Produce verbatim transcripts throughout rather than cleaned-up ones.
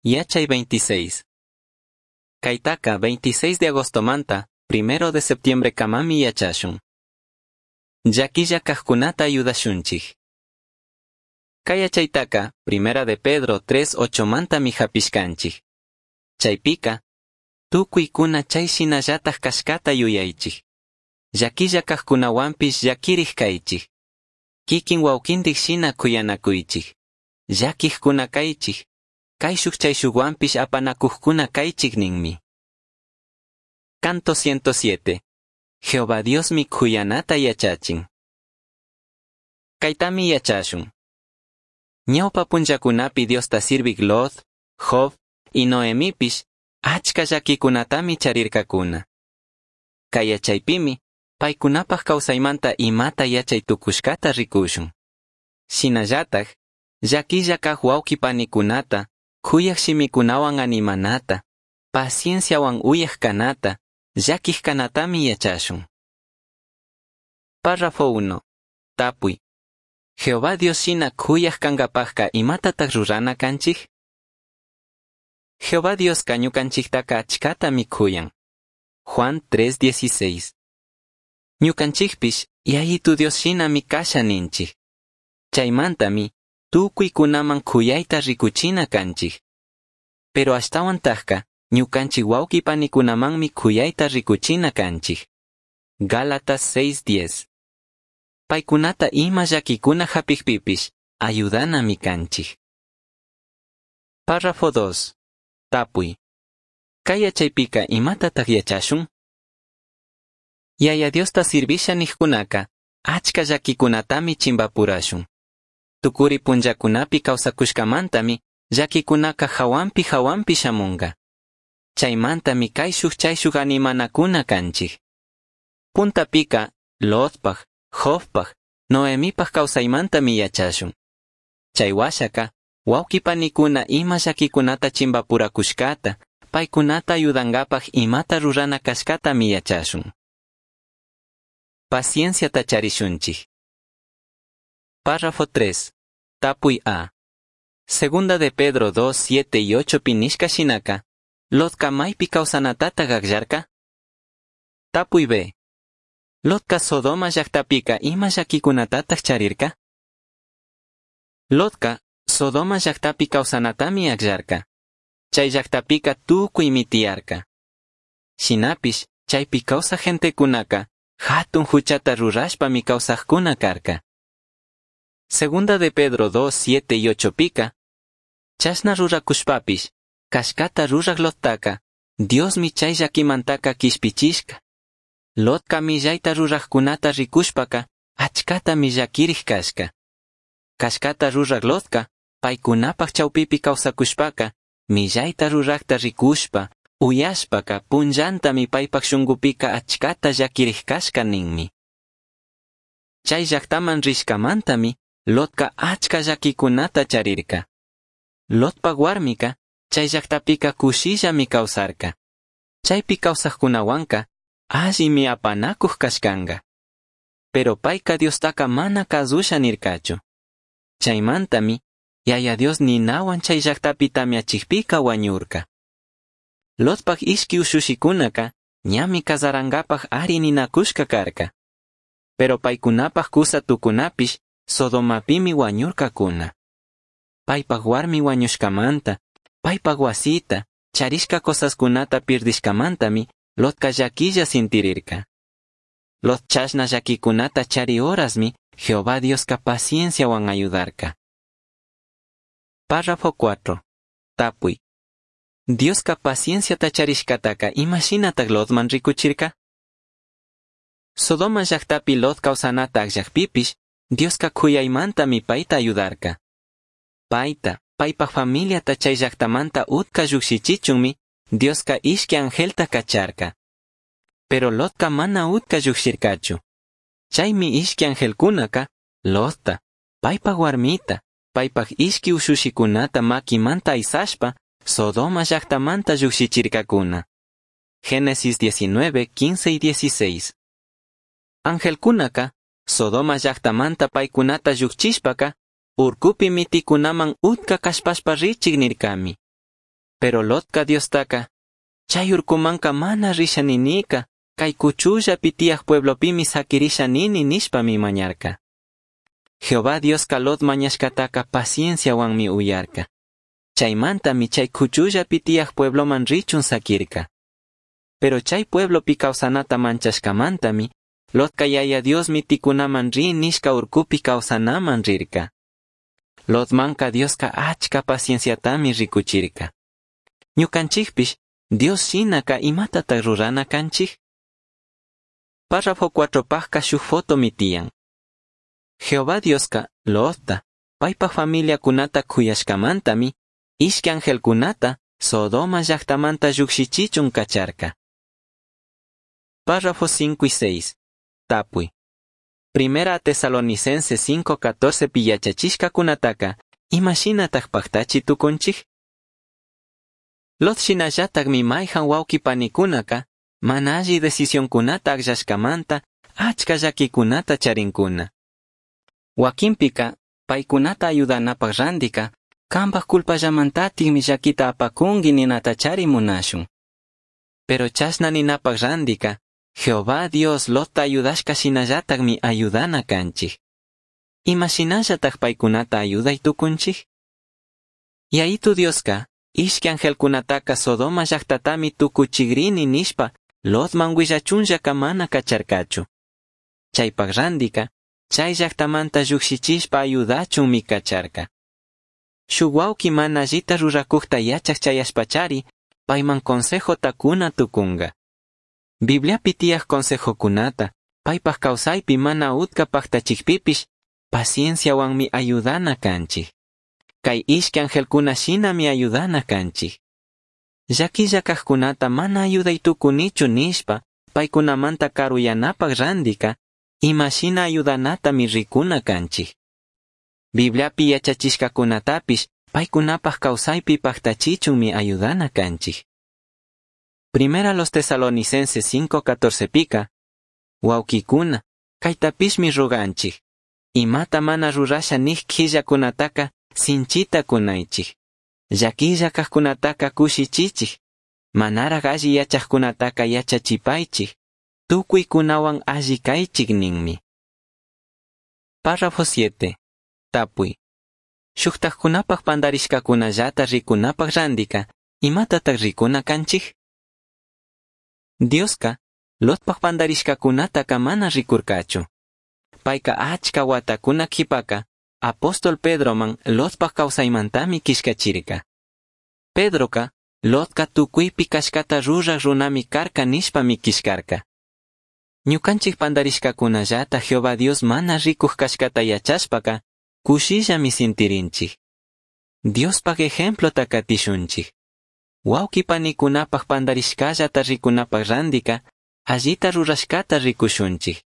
Yachay veintiséis. Caitaca veintiséis de agostomanta, primero de septiembre camami yachashun. Llaquilla cajcunata ayudashunchij. Cai yachaitaca, Primera de Pedro tres ochomantami japishcanchij. Chaipica, tucuicuna chai shinallataj cashcata yuyaichij. Llaquilla cajcunahuanpish llaquirij caichij. Kikin huauquindij shina cuyanacuichij. Llaquijcuna caichij. Caishuj chaishuhuanpish apanacujcuna caichij ninmi. Canto ciento siete. Jehová Diosmi cuyanata yachachin. Caitami yachashun. Ñaupa punllacunapi Diosta sirvij Lot, Job y Noemipish achca llaquicunatami charircacuna. Cai yachaipimi paicunapaj causaimanta imata yachai tucushcata ricushun. Shinallataj, llaquilla caj huauqui panicunata, cuyaj shimicunahuan animanata, pacienciahuan uyaj canata, llaquij canatami yachashun. Párrafo uno. Tapui. Jehová Dios shina cuyaj cangapajca imatataj rurana canchij? Jehová Diosca ñucanchijtaca achcatami cuyan. Juan tres dieciséis. Ñucanchijpish Yayitu Dios shinami casha ninchij. Chaimantami tucuicunaman cuyaita ricuchina canchij. Pero ashtahuantajca ñucanchij huauqui panicunamanmi cuyaita ricuchina canchij. Gálatas seis diez. Paicunata ima llaquicuna japijpipish ayudanami canchij. Párrafo dos. Tapui. Cai yachaipika imatataj yachashun? Yaya Diosta sirvisha nijcunaca achca llaquicunatami chimbapurashun. Tucuri punllacunapi causacushcamantami llaquicunaca jahuanpi jahuanpi shamunga. Chaimantami caishuj chaishuj animanacuna canchij. Puntapika Lotpaj, Jobpaj, Noemipaj causaimantami yachashun. Chai huashaca, huauqui panicuna ima llaquicunata chimbapuracushcata, paicunata ayudangapaj imata rurana cashcatami yachashun. Pacienciata charishunchij. Párrafo tres. Tapui A. Segunda de Pedro dos, siete y ocho pinishka shinaka, Lotca maipi causanatata gagllarca? Tapui B. Lotca Sodoma llactapika ima llaquicunatataj charirca? Lotca Sodoma llactapi causanatami agllarca. Chay llactapika tucuimi tiyarca. Shinapish chaypi causaj gentecunaka jatun juchata rurashpami causajcuna carca. Segunda de Pedro dos, siete y ocho pica, chashna ruracushpapish, cashcata ruraj Lottaka, Diosmi chay llaquimantaka quishpichishca. Lotca millayta rurajcunata ricushpaka, achcatami llaquirij cashca. Cashcata ruraj Lotca, paicunapaj chaupipi causacushpaka, millayta rurajta ricushpa, uyashpaka, punllantami paipaj shungupika achcata llaquirij cashca ninmi. Chay llactaman rishcamantami, Lotca achca llaquicunata charirca. Lotpa warmika, chay llactapika cushillami causarca. Chaypi causajcunahuanca, allimi apanacuj cashcanga. Pero paica Diostaka mana cazusha nircachu. Chaimantami, Yaya Dios ninahuan chay llactapi tamiachijpika huañurca. Lotpaj ishqui ushushicunaka, ñami cazarangapaj ari ninacushca carca. Pero paicunapaj cusa tucunapish, Sodomapimi huañurcacuna. Paipaj warmi huañushcamanta, paipaj huasita, charishca cosascunata pirdishcamantami, Lotca llaquilla sintirirca. Lot chashna llaquicunata chari horasmi, Jehová Diosca pacienciahuan ayudarca. Párrafo cuatro. Tapui. Diosca pacienciata charishcataca imashinataj Lotman ricuchirca? Sodoma llactapi Lot causanata agllajpipish, Diosca cuyaimantami paita ayudarca. Paita, paipaj familiata chay llactamanta utca llujshichichunmi, Diosca ishqui angelta cacharca. Pero Lotca mana utca llujshircachu. Chaymi ishqui angelcunaca, Lotta, paipaj warmita, paipaj ishqui ushushicunata maquimanta aysashpa, Sodoma llactamanta llujshichircacuna. Génesis diecinueve, quince y dieciséis. Angelcunaca, Sodoma llactamanta paicunata llujchishpaca, urcupi miticunaman utca cashpashpa richij nircami. Pero Lotca Diostaca, chay urcumanca mana risha ninica, kay kuchullapi tiyaj pueblopimi saquirisha nini nishpami mañarca. Jehová Diosca Lot mañashcataca pacienciahuanmi uyarca. Chaimantami chay kuchullapi tiyaj puebloman richun saquirca. Pero chay pueblopi kawsanata manchashkamantami, Lotca yaya Dios miticunaman ri nishka urcupi kawsanaman rirca. Lotmanca Diosca achka pacienciatami rikuchirca. Ñukanchikpish, Dios shinaka imatataq rurana kanchik? Párrafo cuatro pajka shuj fotomi tiyan. Jehová Dioska Lotta, paypaj familiakunata kuyashkamantami, ishki angelkunata Sodoma llaktamanta llukshichichun kacharka. Párrafo cinco y seis. Tapuy. Primera Tesalonicenses cinco catorce pi yachachishkakunataka, imashinataj paktachi tukunchik? Lot shinallatakmi mayhan wawqi panikunaka, mana alli decisionkunata akllashkamanta achka llakikunata charinkuna. Wakinpika, paykunata ayudanapaj randika, kanpaj culpallamantatikmi llakita apakunki ninata chari munashun. Pero chashna ninapaj randika, Jehová Dios Lotta ayudashka shinallatakmi ayudana kanchik. Ima shinallataj paykunata ayuday tukunchik? Yayitu Dioska, ishki angelkunataka Sodoma llaktatami tukuchigrini nishpa Lotman willachunllaka mana kacharkachu. Chaypaj randika, chay llaktamanta llukshichishpa ayudachunmi kacharka. Shuk wawqi mana allita rurakukta yachaj chayashpachari, payman consejota kuna tukunga. Bibliapi tiyaj consejokunata, paypaj kawsaypi mana utka paktachikpipish, pacienciawanmi ayudana kanchik. Kay ishki angelkuna shinami ayudana kanchik. Llakilla kajkunata mana ayuday tukunichu nishpa, paykunamanta karuyanapaj randika, imashina ayudanatami rikuna kanchik. Bibliapi yachachishkakunatapish, paykunapaj kawsaypi paktachichunmi ayudana kanchik. Primera los Tesalonicenses cinco catorce pika, wawkikuna, kaytapishmi ruganchik. Imata mana rurasha nij killakunataka sinchita kunaychik. Llakilla kajkunataka kushichichik. Manaraj alli yachajkunataka yachachipaychik. Tukuykunawan alli kaychik ninmi. Párrafo siete. Tapuy. Shuktajkunapaj pandarishkakunallata rikunapaj randika, imatataq rikuna kanchik? Dioska, Lotpaj pandarishkakunataka mana rikurkachu. Payka achka watakuna qhipaka, apóstol Pedroman Lotpaj kawsaymantami kishkachirka. Pedroka, Lotka tukuypi kashkata ruraj runami karka nishpami kishkarka. Ñukanchik pandarishkakunallata Jehová Dios mana rikuj kashkata yachashpaka, kushillami sintirinchik. Diospaj ejemplota katishunchik. Wawqi panikunapaj pandarishkallata rikunapaj randika, allita rurashkata rikushunchik.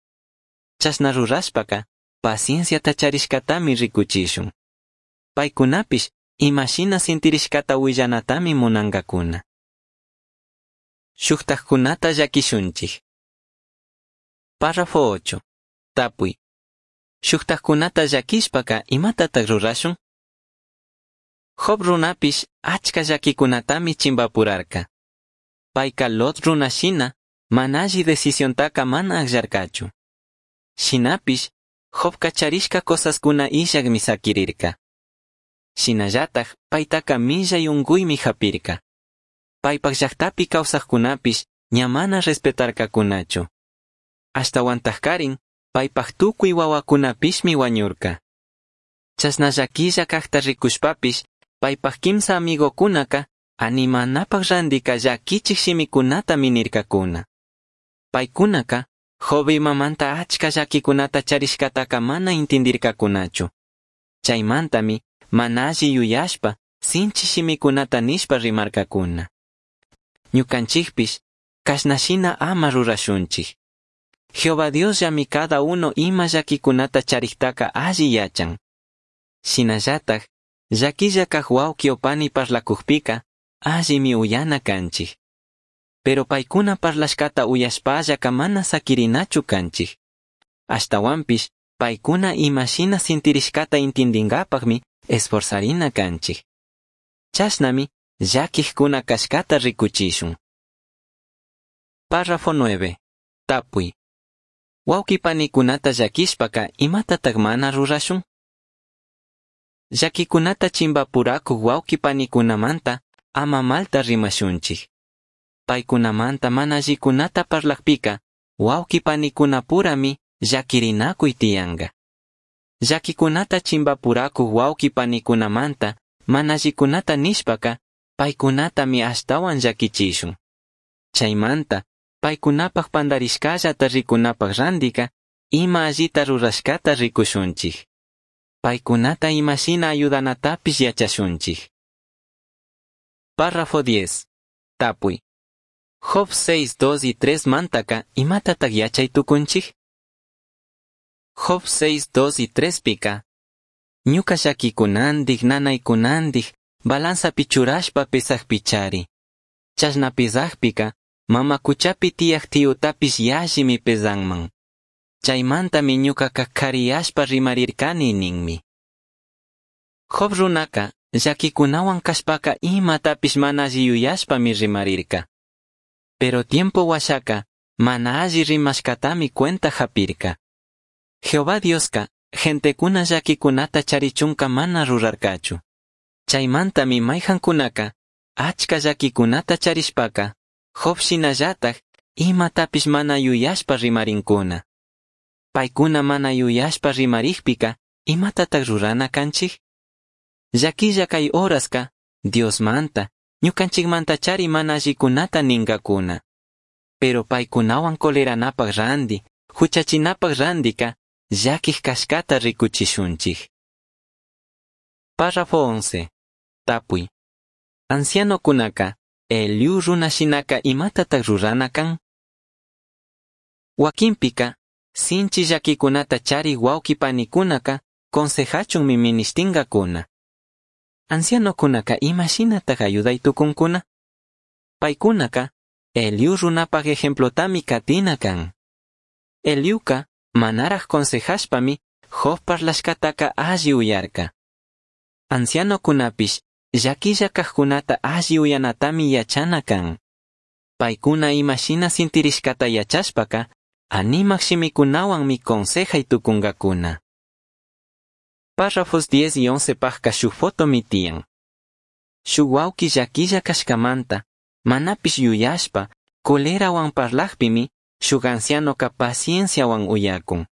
Chashna rurashpaka, pacienciata charishkatami rikuchishun. Paykunapish imashina sintirishkata willanatami munankakuna. Shuktajkunata llakishunchik. Párrafo ocho. Tapuy. Shuktajkunata llakishpaka imatataq rurashun? Job runapish achka llakikunatami chimpapurarka. Payka Lot runa shina, mana alli decisiontaka mana akllarkachu. Shinapish, Jobka charishka cosaskuna illakmi sakirirka. Shinallataj paytaka millay unkuymi hapirka. Paypaj llaktapi kawsajkunapish ña mana respetarkakunachu. Ashtawantajkarin, paypaj tukuy wawakunapishmi wañurka. Chashna llakilla kajta rikushpapish, paypaj kimsa amigokunaka animanapaj randika llakichik shimikunatami nirkakuna. Paykunaka, Job imamanta achka llakikunata charishkataka mana intindirkakunachu. Chaymantami, mana alli yuyashpa, sinchi shimikunata nishpa rimarkakuna. Ñukanchikpish, kashnashina ama rurashunchik. Jehová Diosllami cada uno ima llakikunata chariktaka alli yachan. Shinallataj, llakilla kaj wawqi o pani parlakujpika, allimi uyana kanchik. Pero paykuna parlashkata uyashpallaka mana sakirinachu kanchik. Ashtawanpish, paykuna imashina sintirishkata intindinkapaqmi esforzarina kanchik. Chashnami, llaquijcuna cashcata ricuchishun. Párrafo nueve. Tapui. Huauqui panicunata llaquishpaca imatataj mana rurashun? Llaquicunata chimbapuracuj huauqui panicunamanta ama malta rimashunchij. Paicunamanta mana allicunata parlajpica huauqui panicunapurami llaquirinacuy tiyanga. Llaquicunata chimbapuracuj huauqui panicunamanta mana allicunata nishpaca paicunatami ashtahuan llaquichishun. Chaimanta paicunapaj pandarishcallata ricunapaj randica ima allita rurashcata ricushunchij. Paicunata ima shina ayudanatapish yachashunchij. Párrafo diez. Tapui. Job seis, dos y tres mantaca imatataj yachai tucunchij? Job seis, dos y tres pica. Ñuca llaquicunandij, nanaicunandij, balanzapi churashpa pesajpichari. Chashna pesajpica, mama cuchapi tiyaj tiyutapish yallimi pesanman. Chaimantami ñucaca cariyashpa rimarircani ninmi. Job runaca, llaquicunahuan cashpaca imatapish mana alli yuyashpami rimarirca. Pero tiempo huashaca, mana alli rimashcatami cuenta japirca. Jehová Diosca, gentecuna llaquicunata charichunca mana rurarcachu. Chaimantami maijancunaca, achca llaquicunata charishpaca, Job shinallataj imatapish mana yuyashpa rimarincuna. Paicuna mana yuyashpa rimarijpica, imatataj rurana canchij? Llaquilla cai horasca, Diosmanta, ñucanchijmantachari mana allicunata ningacuna. Pero paicunahuan coleranapaj randi, juchachinapaj randica, llaquij cashcata ricuchishunchij. Párrafo once. Tapui. Ancianocunaca, Eliú runa shinaca imatataj rurana can? Huaquinpica, sinchi llaquicunata chari huauqui panicunaca consejachunmi minishtingacuna. Ancianocunaca ima shinataj ayudai tucuncuna? Paicunaca, Eliú runapaj ejemplotami catina can. Eliuca, manaraj consejashpami, Job parlashcataca alli uyarca. Ancianocunapish, llaquilla cajcunata alli uyanatami yachana can. Paicuna ima shina sintirishcata yachashpaca, animaj shimikunahuanmi consejai tucungacuna. Párrafos diez y once pajca shuj fotomi tiyan. Shuj huauqui llaquilla cashcamanta, manapish yuyashpa, colerahuan parlajpimi, shuj ancianoca pacienciahuan uyacun.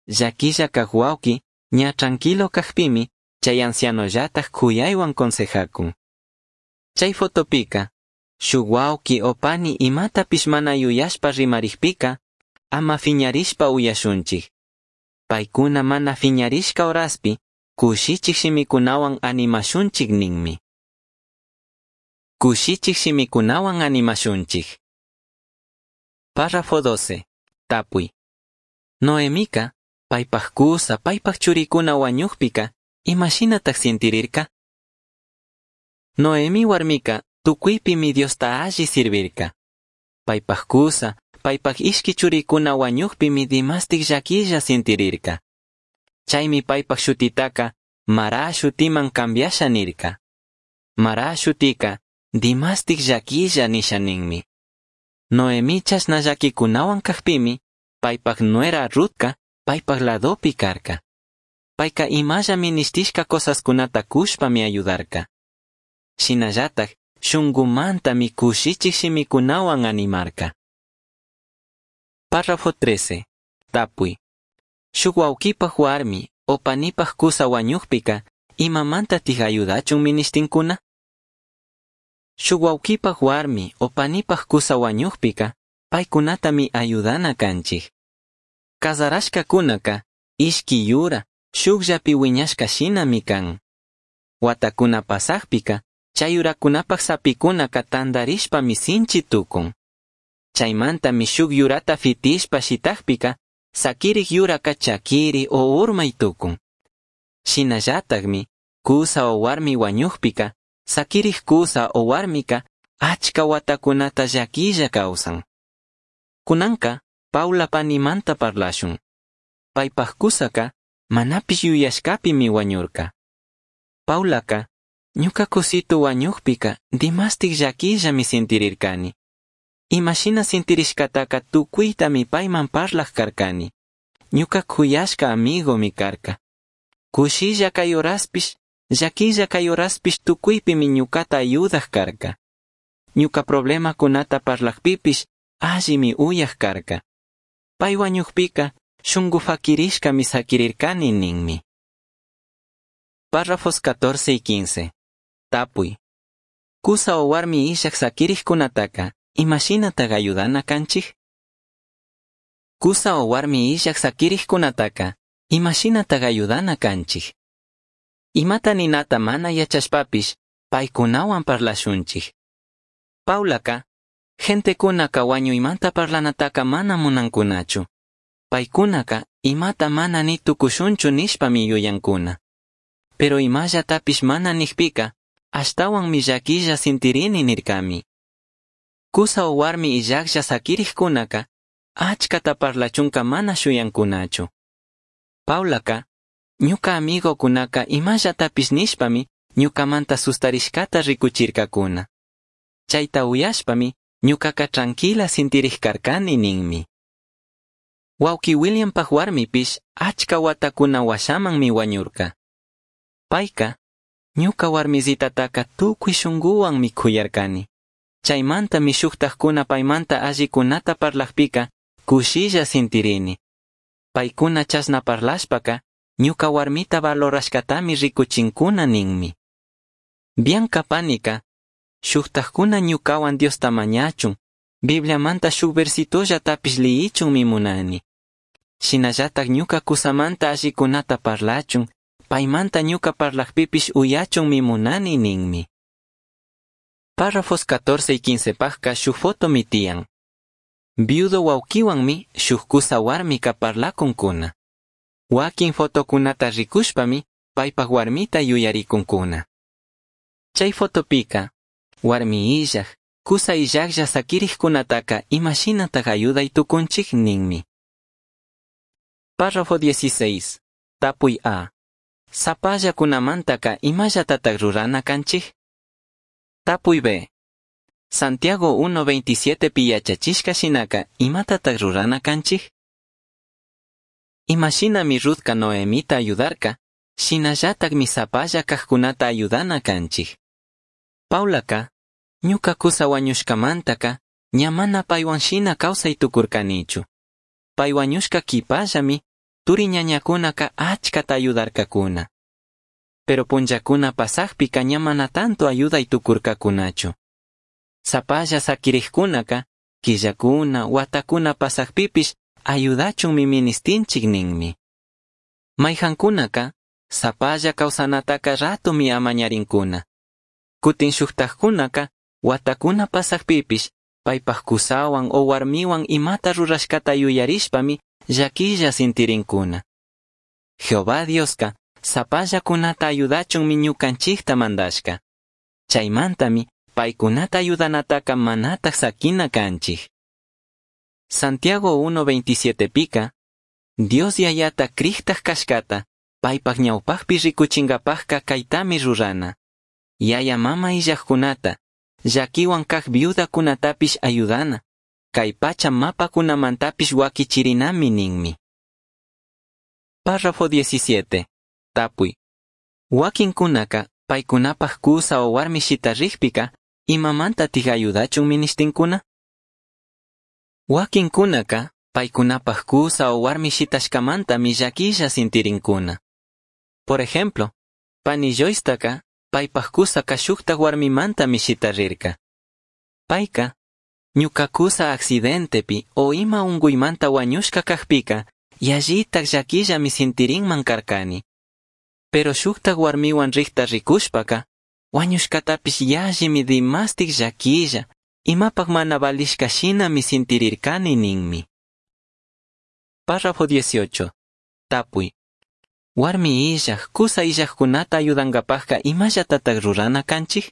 Llaquilla caj huauqui, ña tranquilo cajpimi, chay ancianollataj cuyaihuan consejacun. Chay fotopica, shuj huauqui o pani imatapish mana yuyashpa rimarijpica, ama fiñarishpa uyashunchij. Paicuna mana fiñarishca horaspi, cushichij shimikunahuan animashunchij ninmi. Cushichij shimikunahuan animashunchij. Párrafo doce. Tapui. Noemica, paipaj cusa, paipaj churicuna huañujpica, ima shinataj sintirirca? Noemi huarmica, tucuipimi Diosta alli sirvirca. Paipaj cusa, paipaj ishqui churicuna huañujpimi dimastij llaquilla sintirirca. Chaimi paipaj shutitaca Mará shutiman cambiasha nirca. Mará shutica dimastij llaquilla nisha ninmi. Noemi chashna llaquicunahuan cajpimi, paipaj nuera Rutca paipaj ladopi carca. Paica imalla minishtishca cosascunata cushpami ayudarca. Shinallataj shungumantami cushichij shimikunahuan animarca. Párrafo trece. Tapui. Shuj huauquipaj huarmi o panipaj cusa huañujpica, imamantataj ayudachun minishtincuna? Shuj huauquipaj huarmi o panipaj cusa huañujpica, paicunatami ayudana canchij. Cazarashcacunaca, ishqui yura, shujllapi huiñashca shinami can. Huatacuna pasajpica, chay yuracunapaj sapicunaca tandarishpami sinchi tucun. Chaimantami shuj yurata fitishpa shitajpica, saquirij yuraca chaquiri o urmai tucun. Shinallatajmi, cusa o huarmi huañujpica, saquirij cusa o huarmica achca huatacunata llaquilla causan. Cunanca, Paula panimanta parlashun. Paipaj cusaca, manapish yuyashcapimi huañurca. Paulaca, Ñuca cusitu huañujpica dimastij llaquillami sintirircani. Ima shina sintirishcataca tucuitami paiman parlaj carcani. Ñuca c'uyashca amigomi carca. Cushilla cai horaspish, llaquilla cai horaspish tucuipimi ñucata ayudaj carca. Ñuca problemacunata parlajpipish allimi uyaj carca. Pai huañujpica shungu faquirishcami saquirircani ninmi. Párrafos catorce y quince. Tapui. Cusa o warmi illaj saquirijcunataca, imashinatac ayudana canchij? Cusa o warmi illaj saquirijcunataca, imashinatac ayudana canchij? Imata ninata mana yachashpapish, paicunahuan parlashunchij. Paulaca, gentecunaca huañuimanta parlanataca mana munancunachu. Paicunaca imata mana ni tucushunchu nishpami yuyancuna. Pero imallatapish mana nijpica, ashtahuanmi llaquilla sintirini nircami. Cusa o warmi illajlla saquirijcunaca, achcata parlachunca mana shuyancunachu. Paulaca, ñuca amigocunaca imallatapish nishpami ñucamanta sustarishcata ricuchircacuna. Chaita uyashpami ñucaca tranquila sintirij carcani ninmi. Huauqui Williampaj warmipish achca huatacuna huashamanmi huañurca. Paica, ñuca warmizitataca tucui shunguhuanmi c'uyarcani. Chaimantami shujtajcuna paimanta allicunata parlajpica cushilla sintirini. Paicuna chashna parlashpaca ñuca huarmita valorashcatami ricuchincuna ninmi. Bianca panica, shujtajcuna ñucahuan Diosta mañachun, Bibliamanta shuj versitollatapish liyichunmi munani. Shinallataj ñuca cusamanta allicunata parlachun, paimanta ñuca parlajpipish uyachunmi munani ninmi. Párrafos catorce y quince pajca shuj fotomi tiyan. Viudo huauquihuanmi shuj cusa huarmica parlacuncuna. Huaquin fotocunata ricushpami paipaj huarmita yuyaricuncuna. Chai fotopica, warmi illaj, cusa illajlla saquirijcunataca imashinataj ayudai tucunchij ninmi. Párrafo dieciséis. Tapui A. Sapallacunamantaca imallatataj rurana canchij? Tapui B. Santiago uno veintisiete pi yachachishca shinaca imatataj rurana canchij? Imashinami Ruthca Noemita ayudarca, shinallatajmi sapalla cajcunata ayudana canchij. Paulaca, ñuca cusa huañushcamantaca, ña mana paihuan shina causai tucurcanichu. Pai huañushca quipallami, turi ñañacunaca achcata ayudarcacuna. Pero punllacuna pasajpica ña mana tanto ayudai tucurcacunachu. Sapalla saquirijcunaca, quillacuna, huatacuna pasajpipish ayudachunmi ministinchik ninmi. Maijancunaca, sapalla causanataca ratomi amañarincuna. Cutin shujtajcunaca, huatacuna pasajpipish, paipaj cusahuan o warmihuan imata rurashcata yuyarishpami llaquilla sintirincuna. Jehová Diosca, sapallacunata ayudachunmi ñucanchijta mandashca. Chaimantami, paicunata ayudanataca manataj saquina canchij. Santiago uno veintisiete pica, Dios yayata crijtaj cashcata, paipaj ñaupajpi ricuchingapajca caitami rurana. Yaya mama illajcunata, llaquihuan caj viudacunatapish ayudana, cai pacha mapacunamantapish huaquichirinami ninmi. Párrafo diecisiete. Tapui. Huaquincunaca, paicunapaj cusa o warmi shitarijpica, imamantataj ayudachun minishtincuna? Huaquincunaca, paicunapaj cusa o warmi shitashcamantami llaquilla sintirincuna. Por ejemplo, pani Joycetaca, paipaj cusaca shujtaj warmimantami shitarirca. Paica, ñuca cusa accidentepi o ima ungüimanta huañushca cajpica, yallitaj llaquillami sintirinman carcani. Pero shujtaj warmihuan rijta ricushpaca, huañushcatapish yallimi dimastij llaquilla, imapaj mana valishca shinami sintirircani ninmi. Párrafo dieciocho. Tapui. Warmi illaj, cusa illajcunata ayudangapajca imallatataj rurana canchij?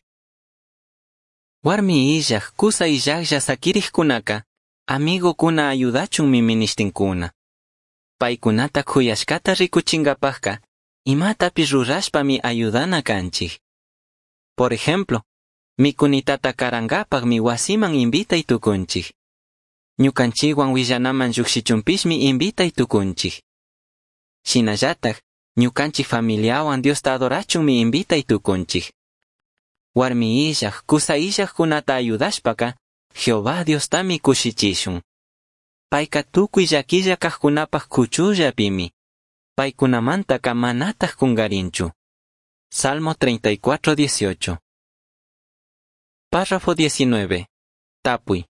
Warmi illaj, cusa illajlla saquirijcunaca, amigocuna ayudachunmi minishtincuna. Paicunata c'uyashcata ricuchingapajca, imatapish rurashpami ayudana canchij. Por ejemplo, micunitata carangapajmi huasiman invitai tucunchij. Ñucanchikhuan huillanaman llujshichunpishmi invitai tucunchij. Shinallataj, ñucanchij familiahuan Diosta adorachunmi invitai tucunchij. Huarmi illaj, cusa illajcunata ayudashpaca, Jehová Diostami cushichishun. Paica tucui llaquilla cajcunapaj cuchullapimi. Paicunamantaca manataj cungarinchu. Salmo treinta y cuatro, dieciocho. Párrafo diecinueve. Tapui.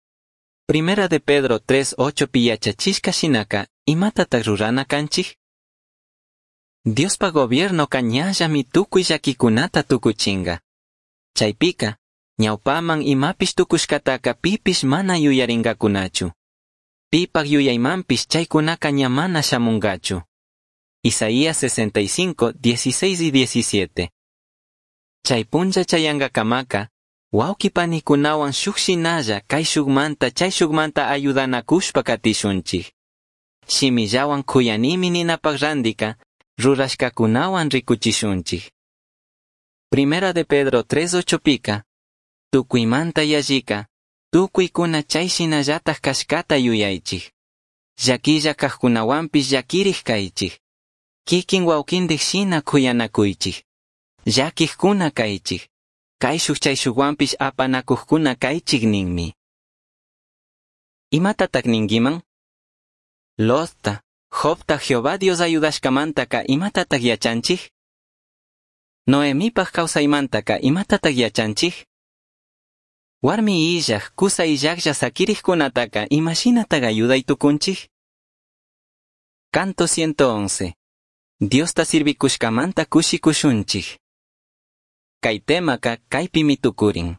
Primera de Pedro tres, ocho piyachachishka shinaka, imatataj rurana kanchij? Diospa gobiernoka ñallami tucui llaquicunata tucuchinga. Chaypika, ñawpaman imapish tucushcataca pipish mana yuyaringacunachu. Pipak yuyaymanpish chaycunaka ña mana shamungachu. Isaías sesenta y cinco, dieciséis y diecisiete. Chay punlla chayangakamaka, wauki panikunawan shuk shinalla kayshukmanta chayshukmanta ayudanakushpa katishunchik. Shimillawan kuyanimi ninapak randika, rurashkakunawan rikuchishunchik. Primera de Pedro tres ocho pika, tukuymanta yallika, tukuykuna chay shinallataj kashkata yuyaychik. Llakilla kajkunawanpish llakirij kaychik. Kikin wawkindik shina kuyanakuychik. Llakijkuna kaychik. Kayshuk chayshukwanpish apanakujkuna kaychik ninmi. Imatatak ninkiman? Lotta, Jobta Jehová Dios ayudashkamantaka imatatak yachanchik? Noemipaj kawsaymantaka imatatak yachanchik? Warmi illaj, kusa illajlla sakirijkunataka imashinatak ayuday tukunchik? Canto ciento once. Diosta sirvikushkamanta kushikushunchik. Kay temaka kaypimi tukurin.